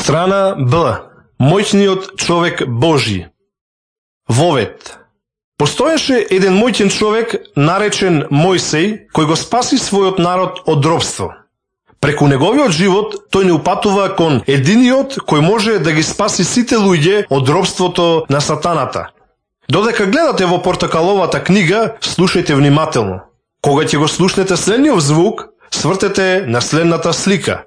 Страна Б. Моќниот човек Божи. Вовет. Постоеше еден моќен човек наречен Мојсей, кој го спаси својот народ од робство. Преку неговиот живот тој не упатува кон единиот кој може да ги спаси сите луѓе од робството на сатаната. Додека гледате во портокаловата книга, слушајте внимателно. Кога ќе го слушнете следниот звук, свртете на следната слика.